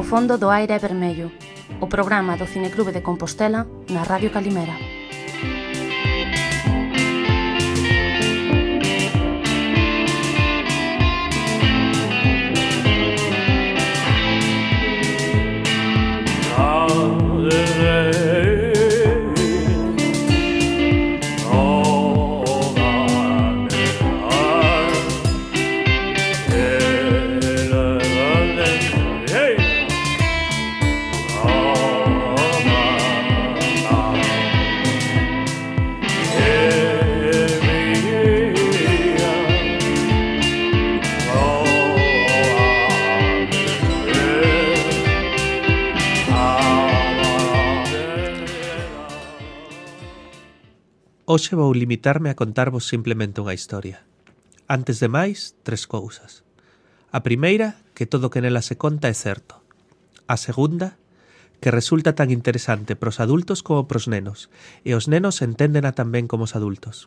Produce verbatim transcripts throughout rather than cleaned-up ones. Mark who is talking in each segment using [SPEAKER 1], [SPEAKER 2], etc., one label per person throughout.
[SPEAKER 1] O fondo do aire é vermello, o programa do Cineclube de Compostela na Radio Calimera.
[SPEAKER 2] Hoxe vou limitarme a contarvos simplemente unha historia. Antes de máis, tres cousas. A primeira, que todo o que nela se conta é certo. A segunda, que resulta tan interesante pros adultos como pros nenos, e os nenos enténdena tan ben como os adultos.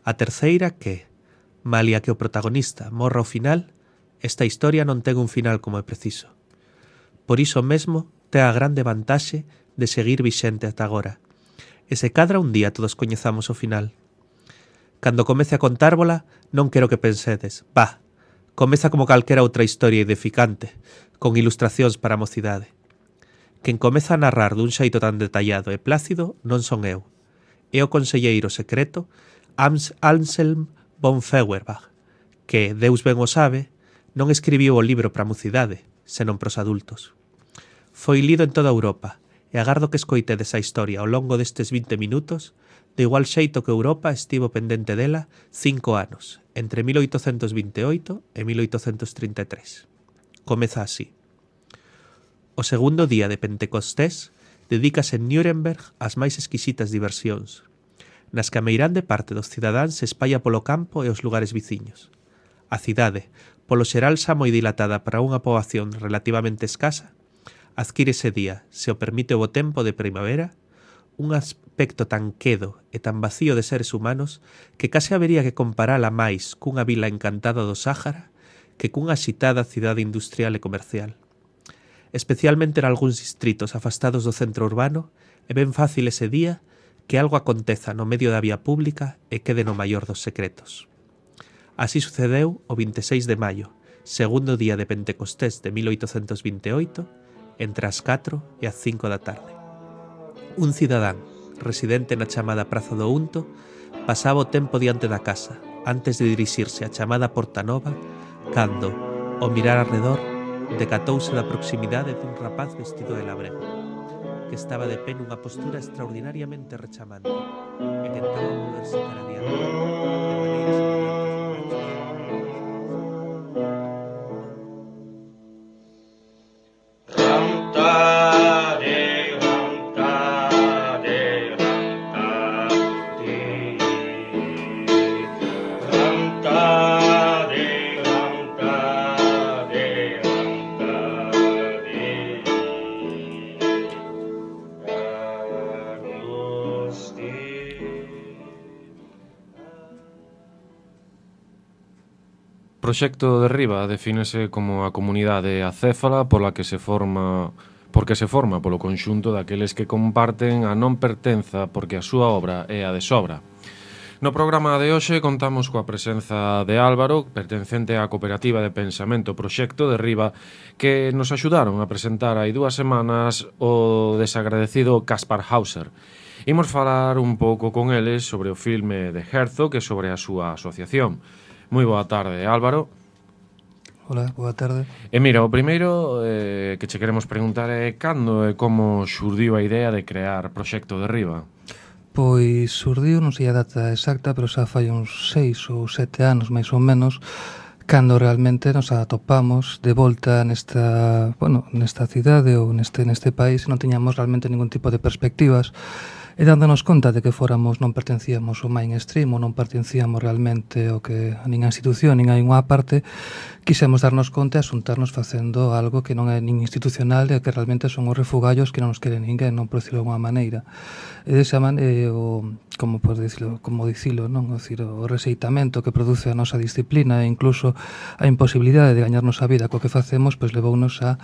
[SPEAKER 2] A terceira, que, malia que o protagonista morra ao final, esta historia non ten un final como é preciso. Por iso mesmo, ten a grande vantaxe de seguir vixente ata agora. E se cadra un día todos coñezamos o final. Cando comece a contárvola, non quero que pensedes, bah, comeza como calquera outra historia edificante, con ilustracións para a mocidade. Quen comeza a narrar dun xeito tan detallado e plácido non son eu. É o conselleiro secreto Anselm von Feuerbach, que, Deus ben o sabe, non escribiu o libro para a mocidade, senón pros adultos. Foi lido en toda Europa, e agardo que escoitedes a historia ao longo destes vinte minutos, de igual xeito que Europa estivo pendente dela cinco anos, entre mil oitocentos vinte e oito e mil oitocentos trinta e tres. Comeza así. O segundo día de Pentecostés dedícase en Nuremberg ás máis exquisitas diversións, nas que a meirande parte dos cidadáns se espalla polo campo e os lugares viciños. A cidade, polo xeral xa moi dilatada para unha poboación relativamente escasa, adquire ese día, se o permite o bo tempo de primavera, un aspecto tan quedo e tan vacío de seres humanos que case habería que comparala máis cunha vila encantada do Sáhara que cunha axitada cidade industrial e comercial. Especialmente en algúns distritos afastados do centro urbano, é ben fácil ese día que algo aconteza no medio da vía pública e quede no maior dos secretos. Así sucedeu o vinte e seis de maio, segundo día de Pentecostés de mil oitocentos vinte e oito, entre as catro e as cinco da tarde. Un cidadán, residente na chamada Praza do Unto, pasaba o tempo diante da casa, antes de dirixirse á chamada Porta Nova, cando, ao mirar arredor, decatouse da proximidade dun rapaz vestido de labrego, que estaba de pé nunha postura extraordinariamente rechamante, e tentaba moverse para adiante, de maneira semellante.
[SPEAKER 3] O proxecto Derriba defínese como a comunidade acéfala pola que se forma porque se forma polo conxunto daqueles que comparten a non pertenza porque a súa obra é a de sobra. No programa de hoxe contamos coa presenza de Álvaro, pertencente á cooperativa de pensamento Proxecto Derriba, que nos axudaron a presentar hai dúas semanas o desagradecido Kaspar Hauser. Imos falar un pouco con eles sobre o filme de Herzog e sobre a súa asociación. Moi boa tarde, Álvaro.
[SPEAKER 4] Hola, boa tarde.
[SPEAKER 3] E mira, o primeiro eh, que che queremos preguntar é cando e como xurdiu a idea de crear Proxecto Derriba?
[SPEAKER 4] Pois xurdiu, non sei a data exacta, pero xa fai uns seis ou sete anos, máis ou menos, cando realmente nos atopamos de volta nesta, bueno, nesta cidade ou neste, neste país e non tiñamos realmente ningún tipo de perspectivas. e dándonos conta de que fóramos non pertencíamos ao mainstream ou non pertencíamos realmente ao que a ninha institución, nin a unha parte, quixemos darnos conta e asuntarnos facendo algo que non é nin institucional e que realmente son os refugallos que non nos quere ninguén, non por decirlo de alguma maneira. E desa maneira, o, como por dicilo, como dicilo, non? O, decir, o reseitamento que produce a nosa disciplina e incluso a imposibilidade de gañarnos a vida co que facemos, pois levounos a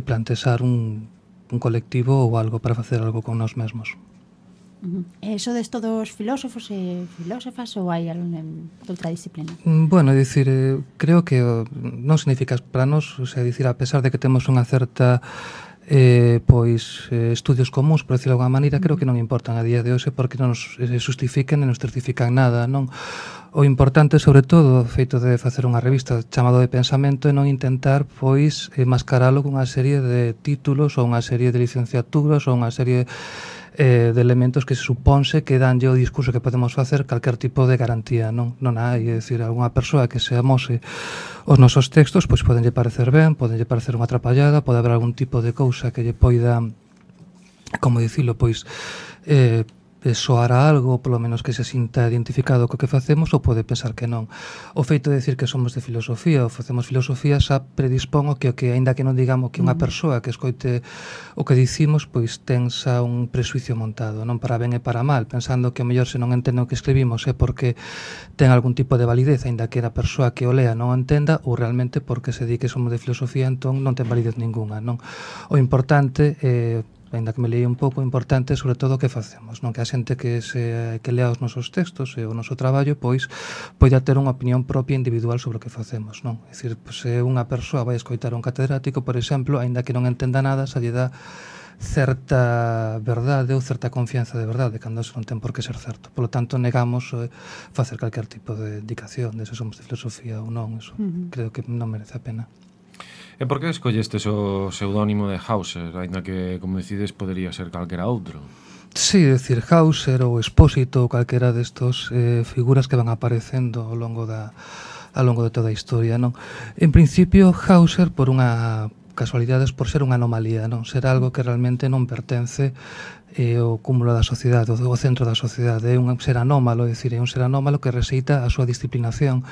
[SPEAKER 4] plantexar un, un colectivo ou algo para facer algo con nós mesmos.
[SPEAKER 5] Uh-huh. E sodes todos filósofos e filósofas ou hai algún de outra disciplina?
[SPEAKER 4] Bueno, é dicir, eh, creo que oh, non significa para nós, o sea, dicir, a pesar de que temos unha certa eh, pois eh, estudios comuns, por decirlo de alguma maneira, creo que non importan a día de hoxe porque non nos eh, justifiquen e non nos certifican nada, non? O importante, sobre todo, o feito de facer unha revista chamado de pensamento é non intentar, pois, eh, mascaralo con unha serie de títulos ou unha serie de licenciaturas ou unha serie eh, de elementos que se supónse que danlle o discurso que podemos facer calquer tipo de garantía, non? Non hai, é dicir, algunha persoa que se amose os nosos textos, pois podenlle parecer ben, podenlle parecer unha atrapallada, pode haber algún tipo de cousa que lle poida, como dicilo, pois, eh, soar a algo, polo menos que se sinta identificado co que facemos, ou pode pensar que non. O feito de decir que somos de filosofía ou facemos filosofía xa predispón o que, o que aínda que non digamos que unha persoa que escoite o que dicimos, pois ten xa un presuicio montado, non para ben e para mal, pensando que o mellor se non entende o que escribimos é porque ten algún tipo de validez, aínda que a persoa que o lea non o entenda, ou realmente porque se di que somos de filosofía, entón non ten validez ninguna, non? O importante é, ainda que me leí un pouco, importante sobre todo o que facemos, non? Que a xente que se que lea os nosos textos e o noso traballo, pois poida ter unha opinión propia individual sobre o que facemos, non? É dicir, pois, se unha persoa vai escoitar un catedrático, por exemplo, aínda que non entenda nada, se lle dá certa verdade ou certa confianza de verdade, cando eso non ten por que ser certo. Por lo tanto, negamos eh, facer calquer tipo de indicación de se somos de filosofía ou non, eso uh-huh. creo que non merece a pena.
[SPEAKER 3] E por que escollestes o pseudónimo de Hauser, ainda que, como decides, podería ser calquera outro?
[SPEAKER 4] Sí, é dicir, Hauser ou Expósito ou calquera destos eh, figuras que van aparecendo ao longo da ao longo de toda a historia, non? En principio, Hauser, por unha casualidades, por ser unha anomalía, non? Ser algo que realmente non pertence eh, ao cúmulo da sociedade, o centro da sociedade, é un ser anómalo, é dicir, é un ser anómalo que receita a súa disciplinación,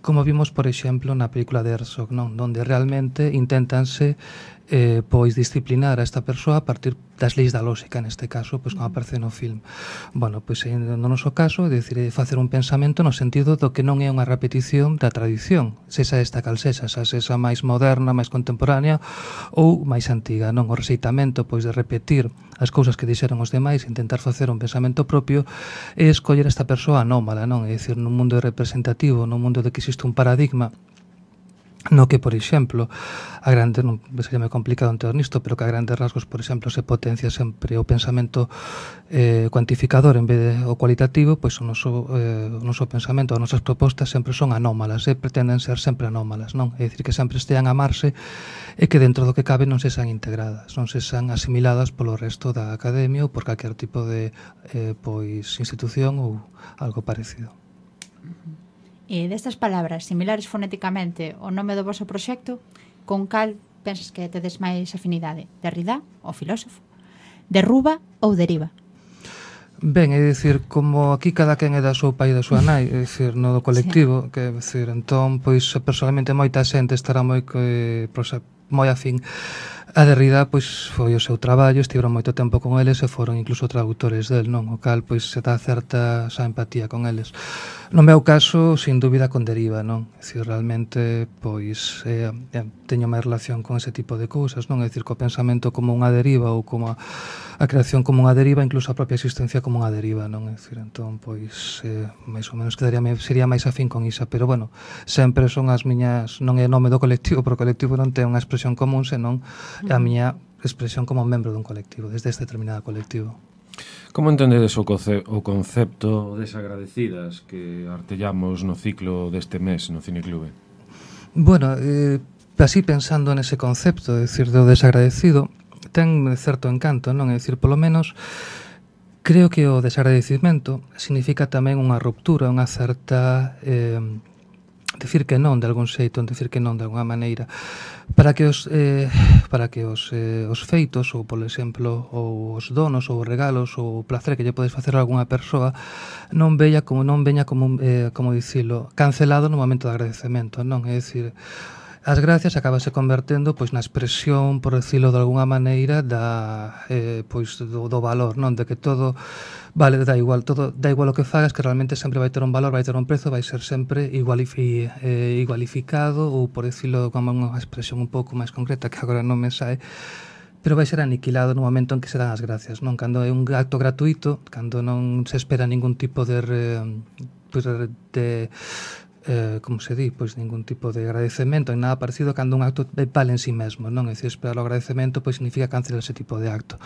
[SPEAKER 4] como vimos, por exemplo, na película de Herzog, non? Donde realmente intentanse eh, pois disciplinar a esta persoa a partir das leis da lógica, neste caso, pois como aparece no film. Bueno, pois no noso caso, é dicir, facer un pensamento no sentido do que non é unha repetición da tradición, sexa esta cal sexa, xa sexa máis moderna, máis contemporánea ou máis antiga, non? O receitamento, pois, de repetir as cousas que dixeron os demais, intentar facer un pensamento propio e escoller esta persoa anómala, non? É dicir, nun mundo representativo, nun mundo de que existe un paradigma no que, por exemplo, a grande, non sería moi complicado entender nisto, pero que a grandes rasgos, por exemplo, se potencia sempre o pensamento eh, cuantificador en vez de o cualitativo, pois o noso, eh, o noso pensamento, as nosas propostas sempre son anómalas, e eh, pretenden ser sempre anómalas, non? É dicir, que sempre estean a amarse e que dentro do que cabe non se sean integradas, non se sean asimiladas polo resto da academia ou por calquer tipo de eh, pois institución ou algo parecido.
[SPEAKER 5] E destas palabras similares fonéticamente o nome do vosso proxecto, con cal pensas que tedes máis afinidade? Derrida, o filósofo? Derruba ou deriva?
[SPEAKER 4] Ben, é dicir, como aquí cada quen é da súa pai e da súa nai, é dicir, no do colectivo, sí. Que é dicir, entón, pois, personalmente moita xente estará moi eh, moi afín a Derrida, pois, foi o seu traballo, estiveron moito tempo con eles e foron incluso traductores del, non? O cal, pois, se dá certa xa empatía con eles. No meu caso, sin dúbida, con Deriva, non? É dicir, realmente, pois, eh, teño máis relación con ese tipo de cousas, non? É dicir, co pensamento como unha deriva ou como a, a creación como unha deriva, incluso a propia existencia como unha deriva, non? É dicir, entón, pois, eh, máis ou menos quedaría, sería máis afín con Isa, pero, bueno, sempre son as miñas, non é nome do colectivo, porque o colectivo non ten unha expresión común, senón a miña expresión como membro dun colectivo, desde este determinado colectivo.
[SPEAKER 3] Como entendedes o, conce o concepto desagradecidas que artellamos no ciclo deste mes no Cineclube?
[SPEAKER 4] Bueno, eh, así pensando nese concepto, é dicir, do desagradecido, ten certo encanto, non? É dicir, polo menos, creo que o desagradecimento significa tamén unha ruptura, unha certa... Eh, decir que non de algún xeito, decir que non de alguna maneira, para que os eh, para que os eh, os feitos ou, por exemplo, ou os donos ou os regalos ou o placer que lle podes facer a algunha persoa non veña como non veña como eh, como dicilo, cancelado no momento de agradecemento, non? É dicir, as gracias acabase convertendo pois na expresión, por decirlo de alguna maneira, da eh, pois do, do valor, non? De que todo vale, da igual, todo da igual o que fagas, que realmente sempre vai ter un valor, vai ter un prezo, vai ser sempre igualifi, eh, igualificado ou, por decirlo como unha expresión un pouco máis concreta que agora non me sae, pero vai ser aniquilado no momento en que se dan as gracias, non? Cando é un acto gratuito, cando non se espera ningún tipo de re, pois de, de eh, como se di, pois ningún tipo de agradecemento en nada parecido, cando un acto vale en sí mesmo, non? É dicir, esperar o agradecemento pois significa cancelar ese tipo de acto.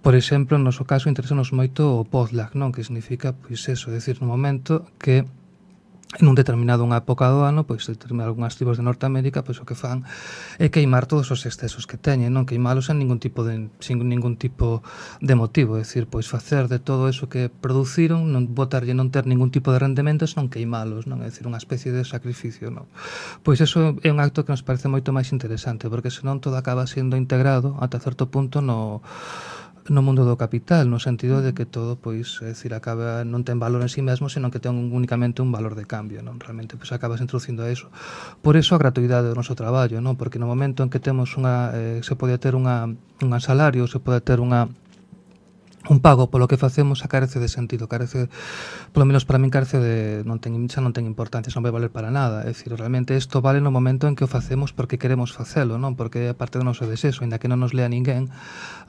[SPEAKER 4] Por exemplo, no noso caso interesanos moito o potluck, non? Que significa pois eso, é dicir, no momento que en un determinado unha época do ano, pois determinadas algunhas tribos de Norteamérica, pois o que fan é queimar todos os excesos que teñen, non queimalos en ningún tipo de sin ningún tipo de motivo, é dicir, pois facer de todo eso que produciron, non botarlle non ter ningún tipo de rendementos, non queimalos, non é dicir, unha especie de sacrificio, non. Pois eso é un acto que nos parece moito máis interesante, porque senón todo acaba sendo integrado ata certo punto no no mundo do capital, no sentido de que todo, pois, é dicir, acaba non ten valor en sí mesmo, senón que ten únicamente un valor de cambio, non? Realmente, pois, acabas introducindo a eso. Por eso a gratuidade do noso traballo, non? Porque no momento en que temos unha, eh, se pode ter unha, un salario, se pode ter unha un pago polo que facemos, a carece de sentido, carece, polo menos para min carece de, non ten, xa non ten importancia, xa non vai valer para nada, é dicir, realmente isto vale no momento en que o facemos porque queremos facelo, non? Porque é parte do noso desexo, aínda que non nos lea ninguén,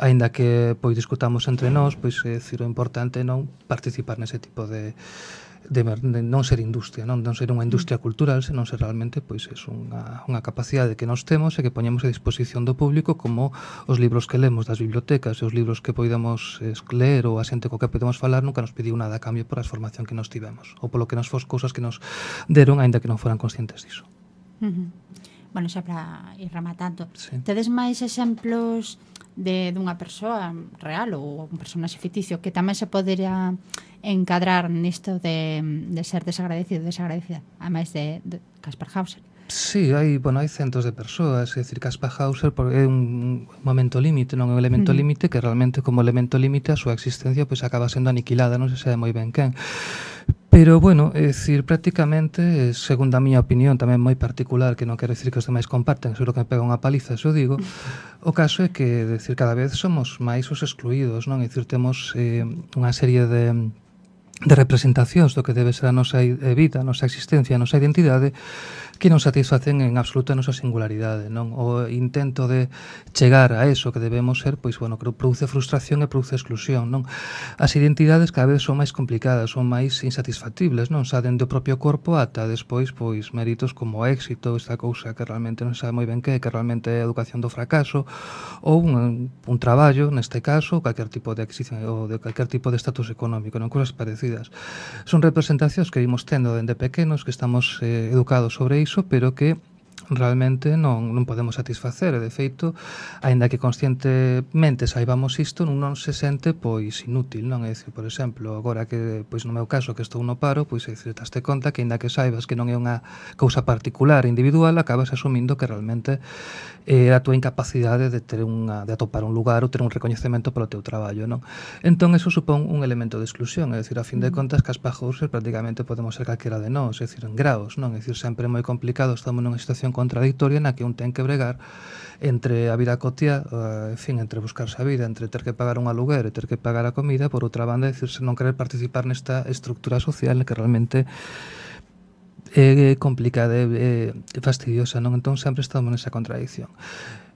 [SPEAKER 4] aínda que pois discutamos entre nós, pois é dicir, o importante é non participar nese tipo de De, de non ser industria, non, non ser unha industria cultural, senón ser realmente pois é unha, unha capacidade que nós temos e que poñemos a disposición do público, como os libros que lemos das bibliotecas e os libros que podemos ler ou a xente co que podemos falar nunca nos pediu nada a cambio por a formación que nos tivemos ou polo que nos fos cousas que nos deron, aínda que non foran conscientes diso.
[SPEAKER 5] Uh-huh. Bueno, xa para ir rematando,
[SPEAKER 4] sí.
[SPEAKER 5] Tedes máis exemplos de dunha persoa real ou un personaxe ficticio que tamén se podería encadrar nisto de, de ser desagradecido, desagradecida, a máis de, de Kaspar Hauser?
[SPEAKER 4] Sí, hai, bueno, hai centos de persoas, é dicir, Kaspar Hauser é un momento límite, non é un elemento uh-huh. límite que realmente como elemento límite a súa existencia pois acaba sendo aniquilada, non se sabe moi ben quen. Pero, bueno, é dicir, prácticamente, segundo a miña opinión, tamén moi particular, que non quero dicir que os demais comparten, seguro que me pega unha paliza, se o digo, o caso é que, é dicir, cada vez somos máis os excluídos, non? É dicir, temos eh, unha serie de de representacións do que debe ser a nosa vida, a nosa existencia, a nosa identidade, que non satisfacen en absoluto a nosa singularidade, non? O intento de chegar a eso que debemos ser, pois, bueno, que produce frustración e produce exclusión, non? As identidades cada vez son máis complicadas, son máis insatisfactibles, non? Xa dende o propio corpo ata despois, pois, méritos como éxito, esta cousa que realmente non sabe moi ben que, que realmente é a educación do fracaso, ou un, un traballo, neste caso, calquer tipo de adquisición, ou de calquer tipo de estatus económico, non? Cousas parecidas. Son representacións que vimos tendo dende pequenos, que estamos eh, educados sobre iso, pero que realmente non, non podemos satisfacer, e de feito, aínda que conscientemente saibamos isto, non, non se sente pois inútil, non? É dicir, por exemplo, agora que, pois no meu caso, que estou no paro, pois é dicir, taste conta que aínda que saibas que non é unha cousa particular, individual, acabas asumindo que realmente é a túa incapacidade de ter unha, de atopar un lugar ou ter un recoñecemento polo teu traballo, non? Entón, eso supón un elemento de exclusión, é dicir, a fin de contas, Kaspar Hauser prácticamente podemos ser calquera de nós, é dicir, en graos, non? É dicir, sempre é moi complicado, estamos nunha situación contradictoria na que un ten que bregar entre a vida cotiá, uh, en fin, entre buscarse a vida, entre ter que pagar un aluguer e ter que pagar a comida, por outra banda, decirse non querer participar nesta estructura social que realmente é complicada e fastidiosa, non? Entón sempre estamos nesa contradicción.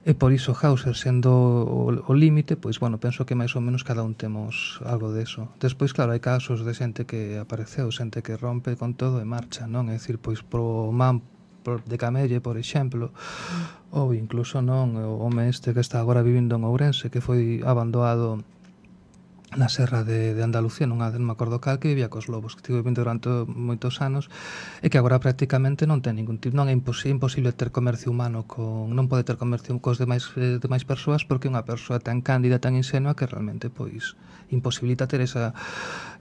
[SPEAKER 4] E por iso Hauser, sendo o, o límite, pois, bueno, penso que máis ou menos cada un temos algo deso. Despois, claro, hai casos de xente que apareceu, xente que rompe con todo e marcha, non? É dicir, pois, pro man de Camelle, por exemplo, mm. ou incluso non o home este que está agora vivindo en Ourense, que foi abandonado na serra de, de Andalucía, nunha non me acordo cal, que vivía cos lobos, que estivo vivindo durante moitos anos e que agora prácticamente non ten ningún tipo, non é imposible, imposible ter comercio humano con, non pode ter comercio cos demais, eh, demais persoas porque unha persoa tan cándida, tan ingenua que realmente pois imposibilita ter esa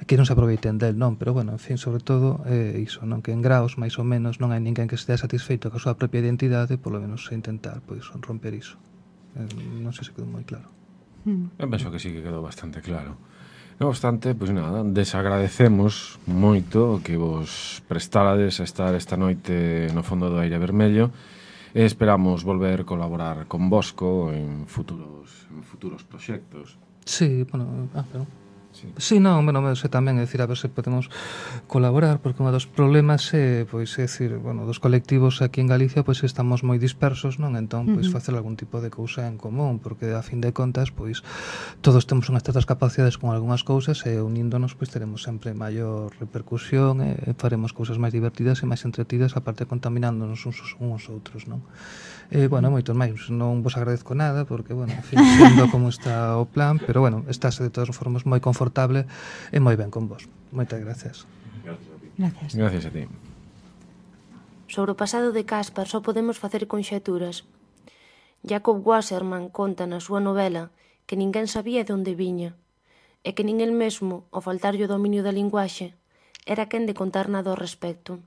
[SPEAKER 4] que non se aproveiten del, non, pero bueno, en fin, sobre todo eh, iso, non, que en graos máis ou menos non hai ninguén que estea satisfeito coa súa propia identidade, polo menos intentar pois romper iso. Eh, non sei se quedou moi claro.
[SPEAKER 3] Eu penso que sí que quedou bastante claro. Non obstante, pois nada, desagradecemos moito que vos prestarades a estar esta noite no fondo do aire vermello e esperamos volver a colaborar con Bosco en futuros, en futuros proxectos.
[SPEAKER 4] Sí, bueno, ah, pero...
[SPEAKER 3] Sí.
[SPEAKER 4] Sí, non, bueno, sei tamén, é dicir, a ver se podemos colaborar, porque un dos problemas é, pois, é dicir, bueno, dos colectivos aquí en Galicia, pois estamos moi dispersos, non? Entón, pois, uh -huh. facer algún tipo de cousa en común, porque a fin de contas, pois, todos temos unhas certas capacidades con algunhas cousas e uníndonos, pois, teremos sempre maior repercusión e faremos cousas máis divertidas e máis entretidas, aparte contaminándonos uns uns outros, non? E, bueno, moitos máis, non vos agradezco nada, porque, bueno, en fin, sendo como está o plan, pero, bueno, estáse de todas formas moi confortable e moi ben con vos. Moitas gracias.
[SPEAKER 5] Gracias.
[SPEAKER 3] Gracias a ti.
[SPEAKER 1] Sobre o pasado de Caspar só podemos facer conxeturas. Jacob Wasserman conta na súa novela que ninguén sabía de onde viña e que nin el mesmo, ao faltarlle o dominio da linguaxe, era quen de contar nada ao respecto.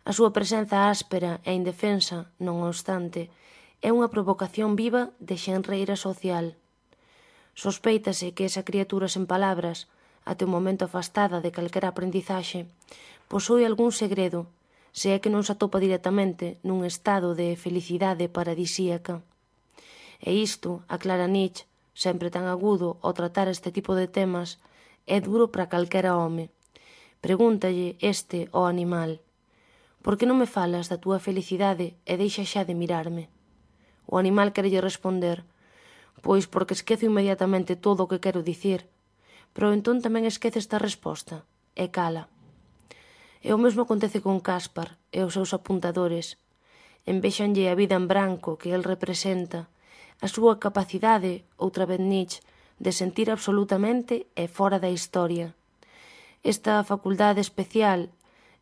[SPEAKER 1] A súa presenza áspera e indefensa, non obstante, é unha provocación viva de xenreira social. Sospeítase que esa criatura sen palabras, até o momento afastada de calquera aprendizaxe, posúe algún segredo, se é que non se atopa directamente nun estado de felicidade paradisíaca. E isto, aclara Nietzsche, sempre tan agudo ao tratar este tipo de temas, é duro para calquera home. Pregúntalle este ao animal: por que non me falas da túa felicidade e deixa xa de mirarme? O animal querelle responder: pois porque esquezo inmediatamente todo o que quero dicir, pero entón tamén esquece esta resposta, e cala. E o mesmo acontece con Caspar e os seus apuntadores. Envexanlle a vida en branco que el representa, a súa capacidade, outra vez Nietzsche, de sentir absolutamente e fora da historia. Esta facultade especial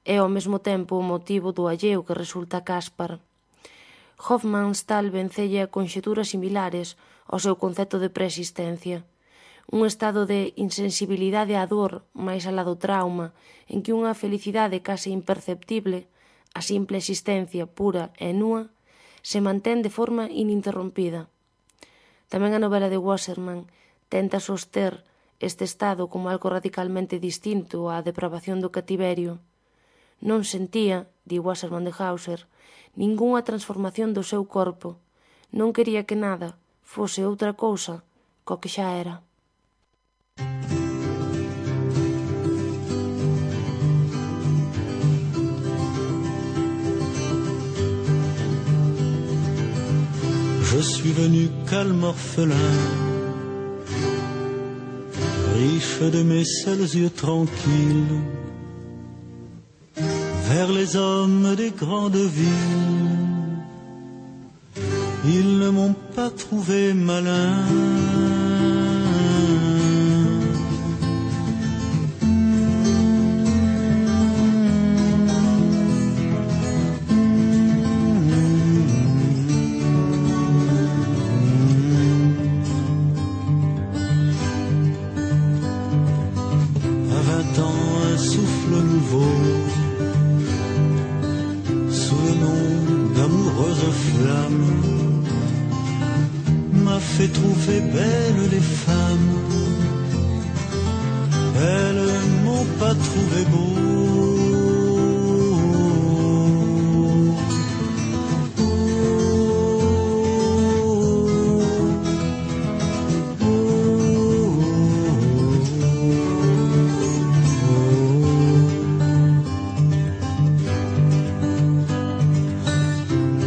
[SPEAKER 1] é ao mesmo tempo o motivo do alleo que resulta Caspar. Hofmannsthal vencella conxeturas similares ao seu concepto de preexistencia, un estado de insensibilidade á dor máis alá do trauma, en que unha felicidade case imperceptible, a simple existencia pura e nua, se mantén de forma ininterrompida. Tamén a novela de Wasserman tenta soster este estado como algo radicalmente distinto á depravación do cativerio. Non sentía, di Wasserman de Hauser, ningunha transformación do seu corpo. Non quería que nada fose outra cousa co que xa era.
[SPEAKER 6] Je suis venu calme orphelin, riche de mes seuls yeux tranquilles, vers les hommes des grandes villes. Ils ne m'ont pas trouvé malin. À vingt ans, un souffle nouveau, sous le nom d'amoureuse flamme, m'a fait trouver belles les femmes. Elles m'ont pas trouvé beau.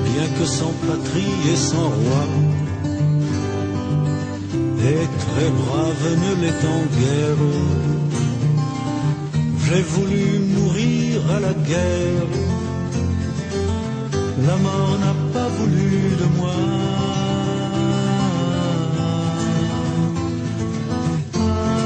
[SPEAKER 6] Bien que sans patrie et sans roi, et très brave ne l'étant guère, j'ai voulu mourir à la guerre. La mort n'a pas voulu de moi. Ah,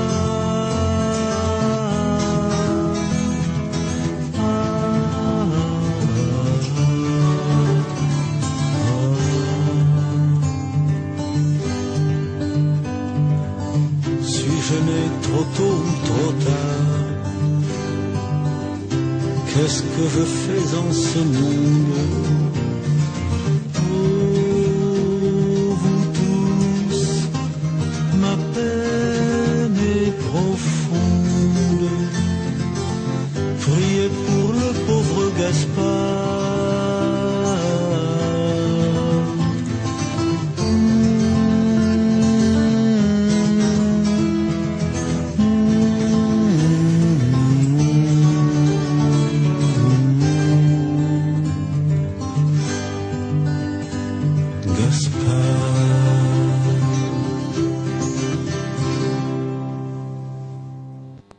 [SPEAKER 6] qu'est-ce que je fais en ce monde? Oh, vous tous, ma peine est profonde. Priez pour le pauvre Gaspard.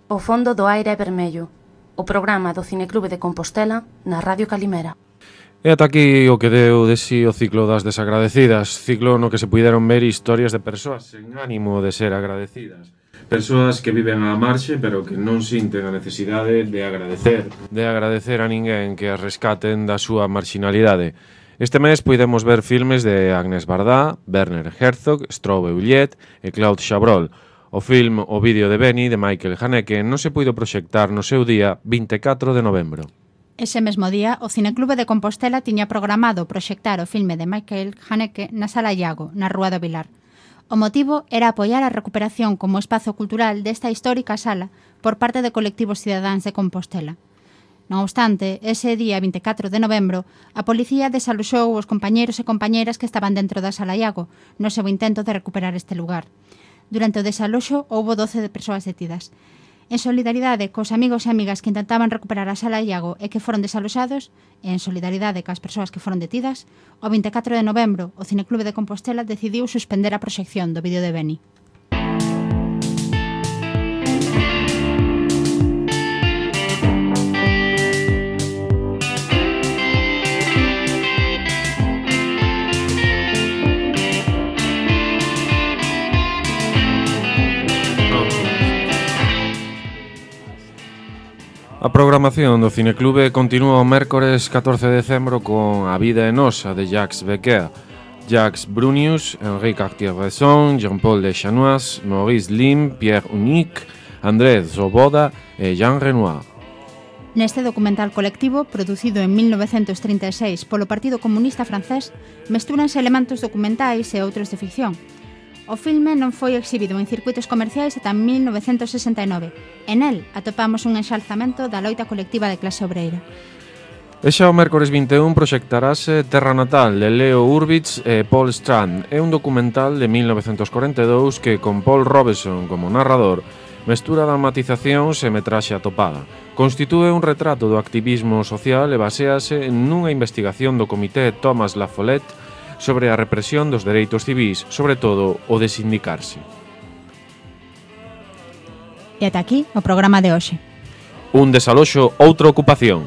[SPEAKER 1] O fondo do aire é vermello, o programa do Cineclube de Compostela na Radio Calimera.
[SPEAKER 3] E ata aquí o que deu de si o ciclo das desagradecidas, ciclo no que se puideron ver historias de persoas sen ánimo de ser agradecidas. Persoas que viven á marxe pero que non sinten a necesidade de agradecer, de agradecer a ninguén que as rescaten da súa marginalidade. Este mes puidemos ver filmes de Agnès Varda, Werner Herzog, Strobe Ulliet e Claude Chabrol. O film O vídeo de Benny, de Michael Haneke, non se puido proxectar no seu día vinte e catro de novembro.
[SPEAKER 5] Ese mesmo día, o Cineclube de Compostela tiña programado proxectar o filme de Michael Haneke na Sala Iago, na Rúa do Vilar. O motivo era apoiar a recuperación como espazo cultural desta histórica sala por parte de colectivos cidadáns de Compostela. Non obstante, ese día vinte e catro de novembro, a policía desaloxou os compañeiros e compañeiras que estaban dentro da Sala Iago no seu intento de recuperar este lugar. Durante o desaloxo, houbo doce de persoas detidas. En solidaridade cos amigos e amigas que intentaban recuperar a Sala Iago e que foron desaloxados, e en solidaridade cas persoas que foron detidas, o vinte e catro de novembro, o Cineclube de Compostela decidiu suspender a proxección do vídeo de Benny.
[SPEAKER 3] A programación do Cineclube continúa o mércores catorce de decembro con A vida é nosa, de Jacques Becker, Jacques Brunius, Henri Cartier-Bresson, Jean-Paul Deschanois, Maurice Lim, Pierre Unique, André Zoboda e Jean Renoir.
[SPEAKER 5] Neste documental colectivo, producido en mil novecentos trinta e seis polo Partido Comunista Francés, mestúranse elementos documentais e outros de ficción. O filme non foi exhibido en circuitos comerciais ata mil novecentos sesenta e nove. En el atopamos un enxalzamento da loita colectiva de clase obreira.
[SPEAKER 3] E xa o mércores vinte e un proxectarase Terra Natal, de Leo Urbitz e Paul Strand. É un documental de mil novecentos corenta e dous que, con Paul Robeson como narrador, mestura dramatizacións e metraxe atopada. Constitúe un retrato do activismo social e basease nunha investigación do Comité Thomas La Follette sobre a represión dos dereitos civís, sobre todo o de sindicarse.
[SPEAKER 5] E ata aquí o programa de hoxe.
[SPEAKER 3] Un desaloxo, outra ocupación.